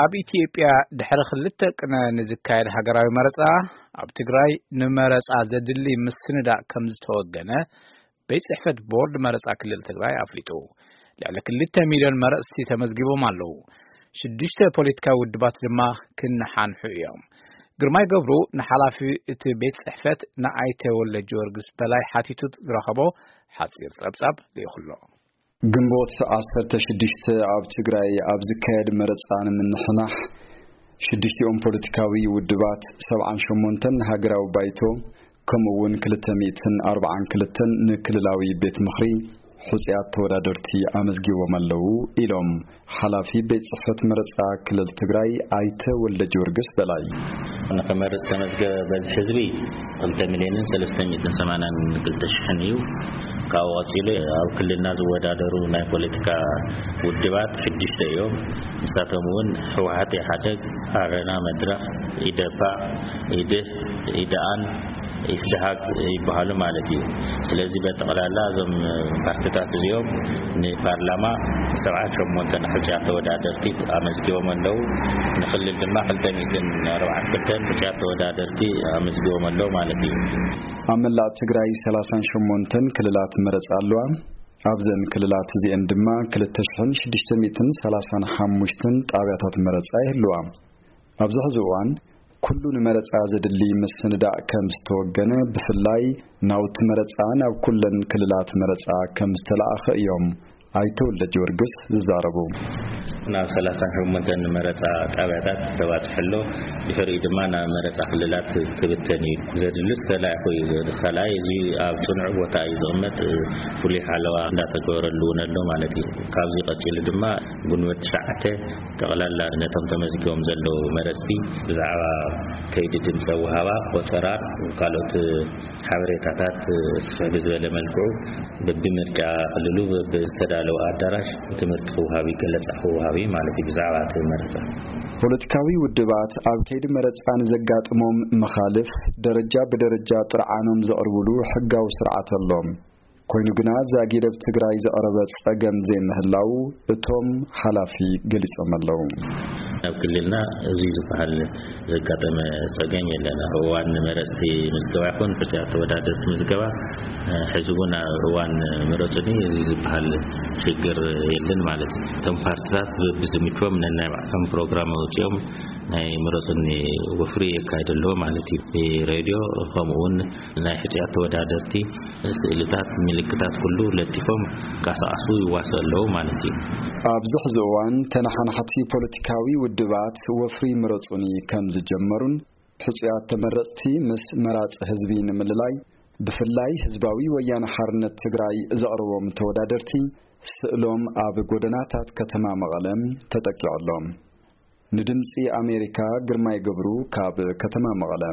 ኣብ ኢትዮጵያ ድሕሪ ክልተ ቅነ ንዝካየድ ሃገራዊ መረጻ፣ ኣብ ትግራይ ንመረጻ ዘድሊ ምስንዳእ ከም ዝተወገነ ቤት ጽሕፈት ቦርድ መረጻ ክልል ትግራይ ኣፍሊጡ። ልዕሊ ክልተ ሚልዮን መረጽቲ ተመዝጊቦም ኣለዉ። ሽዱሽተ ፖለቲካዊ ውድባት ድማ ክነሓንሑ እዮም። ግርማይ ገብሩ ንሓላፊ እቲ ቤት ጽሕፈት ንኣይተ ወልደ ጊዮርጊስ በላይ ሓቲቱ ዝረኸቦ ሓጺር ጸብጻብ ልኢኹ ኣሎ። ግንቦት ዓሰርተ ሽዱሽተ ኣብ ትግራይ ኣብ ዝካየድ መረጻ ንምንሕናሕ፣ ሽዱሽቲኦም ፖለቲካዊ ውድባት፣ ሰብዓን ሸሞንተን ሃገራዊ ባይቶ፣ ከምኡ እውን ክልተ ሚእትን ኣርባዓን ክልተን ንክልላዊ ቤት ምኽሪ ሕጹያት ተወዳደርቲ ኣመዝጊቦም ኣለዉ ኢሎም ሓላፊ ቤት ጽሕፈት መረጻ ክልል ትግራይ ኣይተ ወልደ ጊዮርጊስ በላይ። ንኽመርጽ ተመዝገበ በዝሒ ህዝቢ ክልተ ሚልዮንን ሰለስተ ሚእትን ሰማንያን ክልተ ሽሕን እዩ። ካብኡ ቀጺሉ ኣብ ክልልና ዝወዳደሩ ናይ ፖለቲካ ውድባት ሽዱሽተ እዮም። ንሳቶም እውን ህወሓት፣ ኢሓደግ፣ ኣረና፣ መድረኽ፣ ኢደፓ፣ ኢድህ፣ ኢደኣን ኢፍድሃግ ይበሃሉ ማለት እዩ። ስለዚ በጠቕላላ እዞም ፓርቲታት እዚኦም ንፓርላማ ሰብዓን ሸሞንተን ሕጹያት ተወዳደርቲ ኣመዝጊቦም ኣለዉ። ንክልል ድማ ክልተ ሚእትን ኣርባዓን ክልተን ሕጹያት ተወዳደርቲ ኣመዝጊቦም ኣለዉ ማለት እዩ። ኣብ መላእ ትግራይ ሰላሳን ሸሞንተን ክልላት መረጻ ኣለዋ። ኣብዘን ክልላት እዚአን ድማ ክልተ ሽሕን ሽዱሽተ ሚእትን ሰላሳን ሓሙሽተን ጣብያታት መረጻ ይህልዋ። ኣብዚ ሕዚ እዋን ኩሉ ንመረጻ ዘድሊ ምስንዳእ ከም ዝተወገነ፣ ብፍላይ ናውቲ መረጻ ናብ ኩለን ክልላት መረጻ ከም ዝተለኣኸ እዮም ኣይተ ወልደ ጊዮርጊስ ዝዛረቡ። ናብ ሰላሳን ሸሞንተን መረጻ ጣብያታት ተባጽሐ ኣሎ። ድሕሪኡ ድማ ናብ መረጻ ክልላት ክብተን እዩ። ዘድልስ ተላኢኹ እዩ። ካልኣይ፣ እዚ ኣብ ጽኑዕ ቦታ እዩ ዝቕመጥ። ፍሉይ ሓለዋ እንዳተገበረሉ እውን ኣሎ ማለት እዩ። ካብዚ ቀጺሉ ድማ ግንቦት ትሽዓተ ጠቕላላ ነቶም ተመዝጊቦም ዘለዉ መረጽቲ ብዛዕባ ከይዲ ድምፀ ውሃባ፣ ቆጸራን ካልኦት ሓበሬታታት ስፍሕ ብዝበለ መልክዑ በብምርጫ ክልሉ በብዝተዳለወ ኣዳራሽ ትምህርቲ ክወሃብ እዩ፣ ገለጻ ክወሃብ እዩ ማለት እዩ ብዛዕባ እቲ መረጻ። ፖለቲካዊ ውድባት ኣብ ከይዲ መረጻ ንዘጋጥሞም መኻልፍ ደረጃ ብደረጃ ጥርዓኖም ዘቕርብሉ ሕጋዊ ስርዓት ኣሎ። ኮይኑ ግና ዛጊድ ኣብ ትግራይ ዘቕረበ ጸገም ዘይምህላው እቶም ሓላፊ ገሊጾም ኣለዉ። ኣብ ክልልና እዚ ዝበሃል ዘጋጠመ ጸገም የለን። ኣብ እዋን መረጽቲ ምዝገባ ይኹን ሕጹያት ተወዳደርቲ ምዝገባ፣ እ፣ ሕዚ እውን ኣብ እዋን ምረጹኒ እዚ ዝበሃል ሽግር የለን ማለት እዩ። እቶም ፓርቲታት ብ-፣ ብዝምችዎም ነናይ ባዕሎም ፕሮግራም ኣውጺኦም ናይ ምረጹኒ ወፍሪ የካይዱ ኣለዉ ማለት እዩ። ብሬድዮ ከምኡ እውን ናይ ሕጹያት ተወዳደርቲ ስእልታት፣ ምልክታት ኩሉ ለጢፎም ይንቀሳቐሱ ይዋስኡ ኣለዉ ማለት እዩ። ኣብዚ ሕዚ እዋን ተነሓናሕቲ ፖለቲካዊ ውድባት ወፍሪ ምረጹኒ ከም ዝጀመሩን ሕጹያት ተመረጽቲ ምስ መራጺ ህዝቢ ንምልላይ ብፍላይ ህዝባዊ ወያነ ሓርነት ትግራይ ዘቕርቦም ተወዳደርቲ ስእሎም ኣብ ጎደናታት ከተማ መቐለ ተጠቂዑ ኣሎ። ንድምጺ ኣሜሪካ ግርማይ ገብሩ ካብ ከተማ መቐለ።